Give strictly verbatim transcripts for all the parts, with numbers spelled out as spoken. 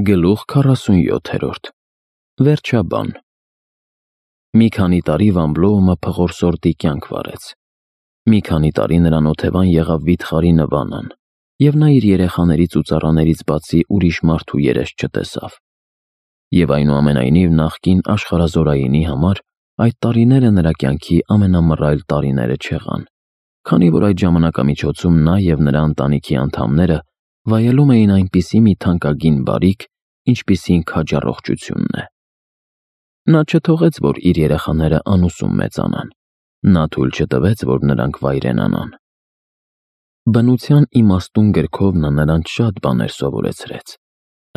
Գլուխ քառասունյոթերորդ Վերջաբան Մի քանի տարի Վամբլոումը փղորսորդի կյանք վարեց։ Մի քանի տարի նրան օթևան եղավ վիթխարի նվանան, և նա իր երեխաներից ու ծառաներից բացի ուրիշ մարդու երես չտեսավ։ Եվ այնուամենայնիվ նախկին աշխարհազորայինի համար այդ տարիները նրա կյանքի ամենամռայլ տարիները չեղան, քանի որ այդ ժամանակամիջոցում նա և նրա ընտանիքի անդամները վայելում էին այնպիսի մի թանկագին բարիք, ինչպիսին քաջառողջությունն է։ Նա չթողեց, որ իր երեխաները անուսում մեծանան, նա թույլ չտվեց, որ նրանք վայրենանան։ Բնության իմաստուն գրքով նա նրանց շատ բաներ սովորեցրեց,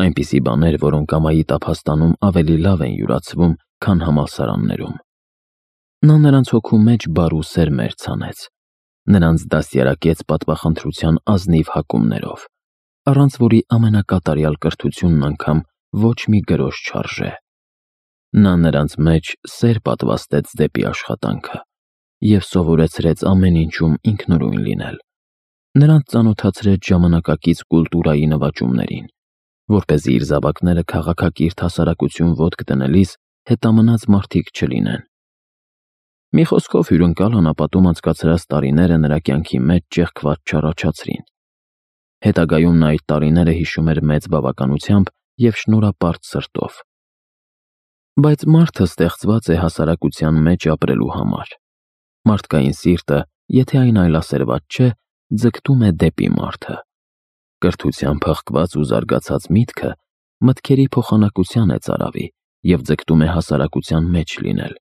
այնպիսի բաներ, որոնք ամայի տափաստանում ավելի լավ են յուրացվում, քան համալսարաններում։ Նա նրանց հոգու մեջ բարու սերմեր ցանեց, նրանց դաստիարակեց պատվախնդրության ազնիվ հակումներով, առանց որի ամենակատարյալ կրթությունն անգամ ոչ մի գրոշ չարժե։ Նա նրանց մեջ սեր պատվաստեց դեպի աշխատանքը և սովորեցրեց ամեն ինչում ինքնուրույն լինել։ Նրանց ծանոթացրեց ժամանակակից կուլտուրայի նվաճումներին, որպեսզի իր զավակները քաղաքակիրթ հասարակություն ոտք դնելիս հետամնաց մարդիկ չլինեն։ Մի խոսքով, հյուրընկալ անապատում անցկացրած տարիները նրա կյանքի մեջ ճեղքված չառաջացրին։ Հետագայում նա այդ տարիները հիշում էր մեծ բավականությամբ և շնորհապարտ սրտով։ Բայց մարդը ստեղծված է հասարակության մեջ ապրելու համար։ Մարդկային սիրտը, եթե այն այլասերված չէ, ձգտում է դեպի մարդը։ Կրթությամբ հղկված ու զարգացած միտքը մտքերի փոխանակության է ծարավի և ձգտում է հասարակության մեջ լինել։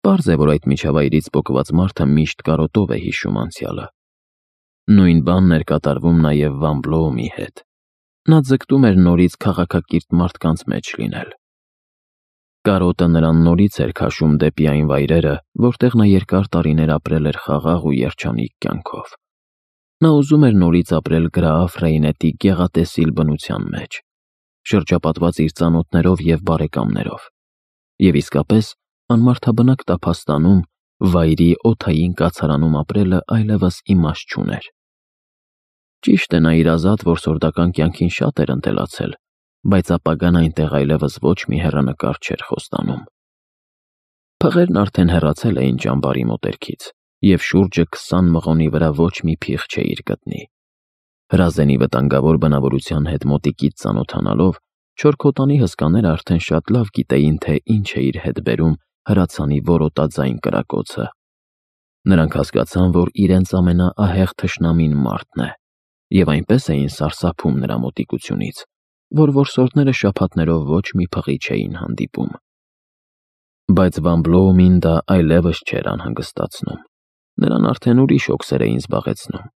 Պարզ է, որ այդ միջավայրից պոկված մարդը միշտ կարոտով է հիշում անցյալը։ Նույն բանն էր կատարվում նաև Վամբլոումի հետ։ Նա ձգտում էր նորից քաղաքակիրթ մարդկանց մեջ լինել։ Կարոտը նրան նորից էր քաշում դեպի այն վայրերը, որտեղ նա երկար տարիներ ապրել էր խաղաղ ու երջանիկ կյանքով։ Նա ուզում էր նորից ապրել Գրաաֆ Ռեյնետի գեղատեսիլ բնության մեջ, շրջապատված իր ծանոթներով և բարեկամներով, և իսկապես անմարդաբնակ տափաստանում, վայրի օդային կացարանում ապրելը այլևս իմաստ չուներ։ Ճիշտ է, նա իր ազատ որսորդական կյանքին շատ էր ընտելացել, բայց ապագան այնտեղ այլևս ոչ մի հեռանկար չէր խոստանում։ Փղերն արդեն հեռացել էին ճամբարի մոտերքից, և շուրջը քսան մղոնի վրա ոչ մի փիղ չէիր գտնի։ Հրազենի վտանգավոր բնավորության հետ մոտիկից ծանոթանալով, չորքոտանի հսկաները արդեն շատ լավ գիտեին, թե ինչ է իր հետ բերում հրացանի որոտաձայն կրակոցը։ Նրանք հասկացան, որ իրենց ամենաահեղ թշնամին մարդն է, և այնպես էին սարսափում նրա մոտիկությունից, որ որսորդները շաբաթներով ոչ մի փղի չէին հանդիպում։ Բայց Վամբլոումին դա այլևս չէր անհանգստացնում։ Նրան արդեն ուրիշ հոգսեր էին զբաղեցնում,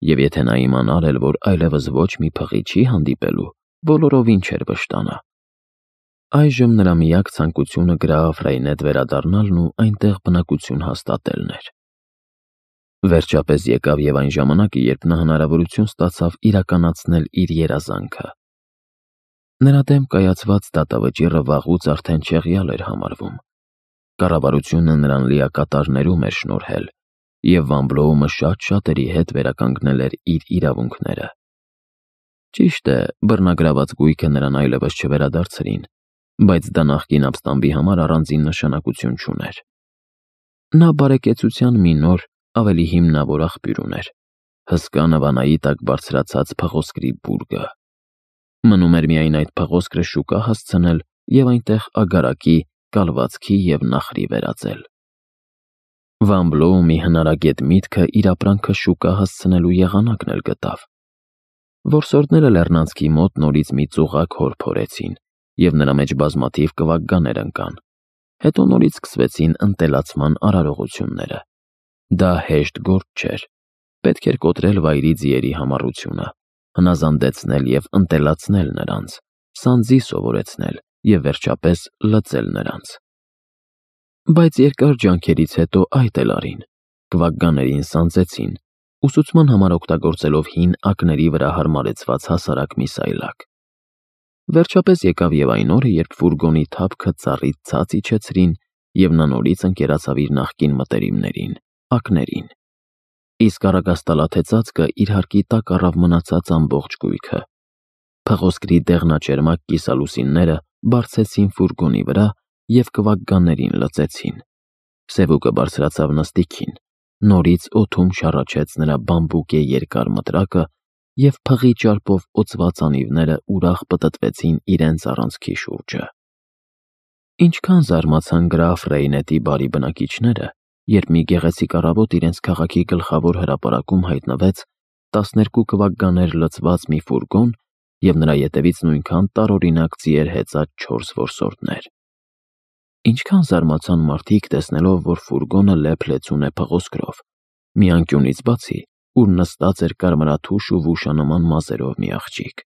և եթե նա իմանար էլ, որ այլևս ոչ մի փղի չի հանդիպելու, բոլորովին չէր վշտանա։ Այժմ նրա միակ ցանկությունը Գրաաֆ Ռեյնետ վերադառնալն ու այնտեղ բնակություն հաստատելն էր։ Վերջապես եկավ և այն ժամանակը, երբ նա հնարավորություն ստացավ իրականացնել իր երազանքը։ Նրա դեմ կայացված դատավճիռը վաղուց արդեն չեղյալ էր համարվում։ Կառավարությունը նրան լիակատար ներում էր շնորհել, և Վամբլոումը շատ շատերի հետ վերականգնել էր իր իրավունքները։ Ճիշտ է, բռնագրաված գույքը նրան այլևս չվերադարձրին, բայց դա նախկին ապստամբի համար առանձին նշանակություն չուներ։ Նա բարեկեցության մի նոր, ավելի հիմնավոր աղբյուր ուներ՝ հսկա նվանայի տակ բարձրացած փղոսկրի բուրգը։ Մնում էր միայն այդ փղոսկրը շուկա հասցնել և այնտեղ ագարակի, կալվածքի և նախրի վերածել։ Վամբլոումի հնարագետ միտքը իր ապրանքը շուկա հասցնելու եղանակն էլ գտավ։ Որսորդները լեռնանցքի մոտ նորից մի ծուղակ հոր փորեցին, և նրա մեջ բազմաթիվ կվակգաներ ընկան։ Հետո նորից սկսվեցին ընտելացման արարողությունները։ Դա հեշտ գործ չէր։ Պետք էր կոտրել վայրի ձիերի համառությունը, հնազանդեցնել և ընտելացնել նրանց, սանձի սովորեցնել և վերջապես լծել նրանց։ Բայց երկար ջանքերից հետո այդ էլ արին։ Կվակգաներին սանձեցին, ուսուցման համար օգտագործելով հին ակների վրա հարմարեցված հասարակ մի սայլակ։ Վերջապես եկավ և այն օրը, երբ ֆուրգոնի թափքը ծառից ցած իջեցրին, և նա նորից ընկերացավ իր նախկին մտերիմներին՝ ակներին։ Իսկ առագաստալաթե ծածկը իր հարկի տակ առավ մնացած ամբողջ գույքը։ Փղոսկրի դեղնաճերմակ կիսալուսինները բարձեցին ֆուրգոնի վրա և կվակկաններին լծեցին։ Սևուկը բարձրացավ նստիքին, նորից օդում շառաչեց նրա բամբուկե երկար մտրակը և փղի ճարպով օծված անիվները ուրախ պտտվեցին իրենց առանցքի շուրջը։ Ինչքան զարմացան գրաֆ Ռեյնետի բարի բնակիչները, երբ մի գեղեցիկ առավոտ իրենց քաղաքի գլխավոր հրապարակում հայտնվեց տասներկու կվակկաներ լցված մի ֆուրգոն և նրա ետևից նույնքան տարօրինակ ձիեր հեծած չորս որսորդներ։ Ինչքան զարմացան մարդիկ, տեսնելով, որ ֆուրգոնը լեփ-լեցուն է փղոսկրով, մի անկյունից բացի, ուր նստած էր կարմրաթուշ ու վուշանման մազերով մի աղջիկ։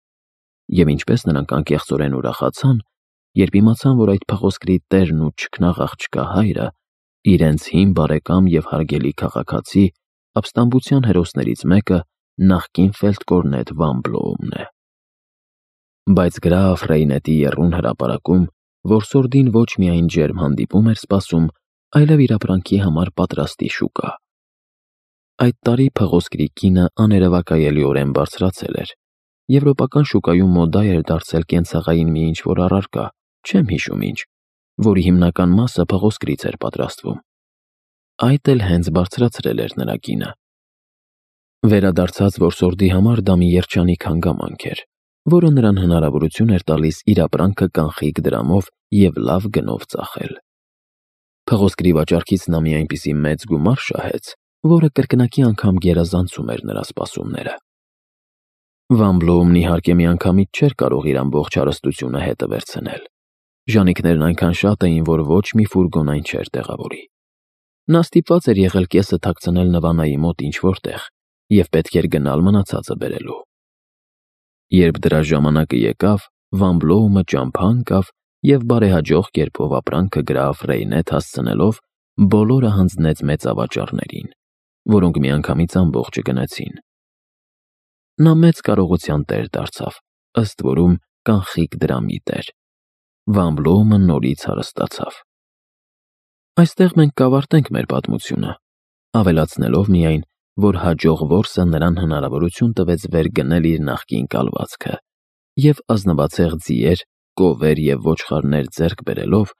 Եվ ինչպես նրանք անկեղծորեն ուրախացան, երբ իմացան, որ այդ փղոսկրի տերն ու չքնաղ աղջկա հայրը իրենց հին բարեկամ և հարգելի քաղաքացի, ապստամբության հերոսներից մեկը նախկին ֆելդկորնետ Վան Բլոումն է։ Բայց գրաֆ Ռեյնետի եռուն հրապարակում որսորդին ոչ միայն ջերմ հանդիպում էր սպասում, այլև իր ապրանքի համար պատրաստի շուկա։ Այդ տարի փղոսկրի կինը աներևակայելիորեն բարձրացել էր։ Եվրոպական շուկայում մոդա էր դարձել կենցաղային մի ինչ-որ առարկա, չեմ հիշում ինչ, որի հիմնական մասը փղոսկրից էր պատրաստվում։ Այդ էլ հենց բարձրացրել էր նրա կինը։ Վերադարձած որսորդի համար դա մի երջանիկ հանգամանք էր, որը նրան հնարավորություն էր տալիս իր ապրանքը կանխիկ դրամով և լավ գնով ծախել։ Փղոսկրի վաճառքից նա մի այնպիսի մեծ գումար շահեց, որը կրկնակի անգամ գերազանցում էր նրա սպասումները։ Վան Բլոումն իհարկե միանգամից չէր կարող իր ամբողջ հարստությունը հետը վերցնել։ Ժանիքներն այնքան շատ էին, որ ոչ մի ֆուրգոն այն չէր տեղավորի։ Նա ստիպված էր եղել կեսը թաքցնել Նվանայի մոտ ինչ-որ տեղ և պետք էր գնալ մնացածը բերելու։ Երբ դրա ժամանակը եկավ, Վան Բլոումը ճամփա ընկավ և բարեհաջող կերպով ապրանքը գրաֆ Ռեյնետ հասցնելով բոլորը հանձնեց մեծավաճառներին, որոնք միանգամից ամբողջը գնեցին։ Նա մեծ կարողության տեր դարձավ, ըստ որում կանխիկ դրամի տեր։ Վան Բլոումը նորից հարստացավ։ Այստեղ մենք կավարտենք մեր պատմությունը, ավելացնելով միայն, որ հաջող որսը նրան հնարավորություն տվեց վեր գնել իր նախկին կալվածքը և ազնվացեղ ձիեր, կովեր և ոչխարներ ձեռք բերելով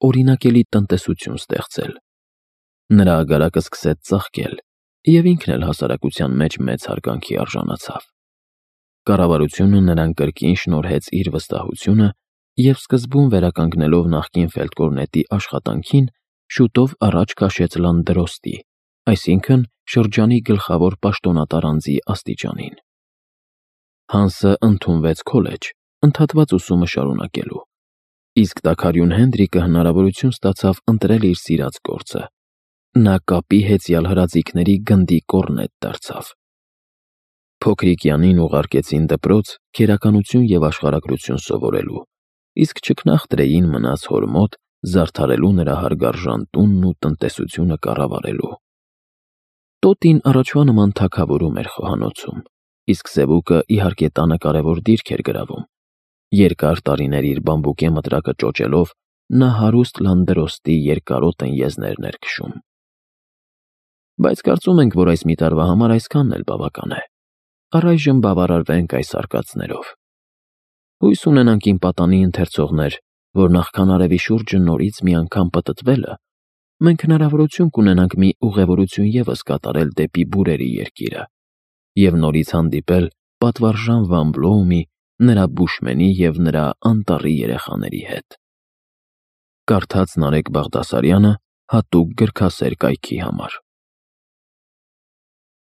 օրինակելի տնտեսություն ստեղծել։ Նրա ագարակը սկսեց ծաղկել, և ինքն էլ հասարակության մեջ մեծ հարգանքի արժանացավ։ Կառավարությունը նրան կրկին շնորհեց իր վստահությունը և սկզբում վերականգնելով նախկին ֆելդկորնետի աշխատանքին, շուտով առաջ քաշեց լանդրոստի, այսինքն շրջանի գլխավոր պաշտոնատար անձի աստիճանին։ Հանսը ընդունվեց քոլեջ, ընդհատված ուսումը շարունակելու, իսկ տաքարյուն Հենդրիկը հնարավորություն ստացավ ընտրել իր սիրած գործը։ Նա կապի հեծյալ հրաձիգների գնդի կոռնետ դարձավ։ Փոքրիկ Յանին ուղարկեցին դպրոց քերականություն և աշխարհագրություն սովորելու, իսկ չքնաղ Տրեյին մնաց հոր մոտ զարդարելու նրա հարգարժան տունն ու տնտեսությունը կառավարելու։ Տոտին առաջվա նման թագավորում էր խոհանոցում, իսկ Սևուկը իհարկե տանը կարևոր դիրք էր գրավում։ Երկար տարիներ իր բամբուկե մտրակը ճոճելով նա հարուստ լանդրոստի երկարոտն եզներն էր քշում։ Բայց կարծում ենք, որ այս մի տարվա համար այսքանն էլ բավական է։ Առայժմ բավարարվենք այս արկածներով։ Հույս ունենանք իմ պատանի ընթերցողներ, որ նախքան արևի շուրջը նորից մի անգամ պտտվելը, մենք հնարավորություն կունենանք մի ուղևորություն ևս կատարել դեպի բուրերի երկիրը և նորից հանդիպել պատվարժան Վան Բլոումի, նրա բուշմենի և նրա անտառի երեխաների հետ։ Կարդաց Նարեկ Բաղդասարյանը հատուկ գրքասեր կայքի համար։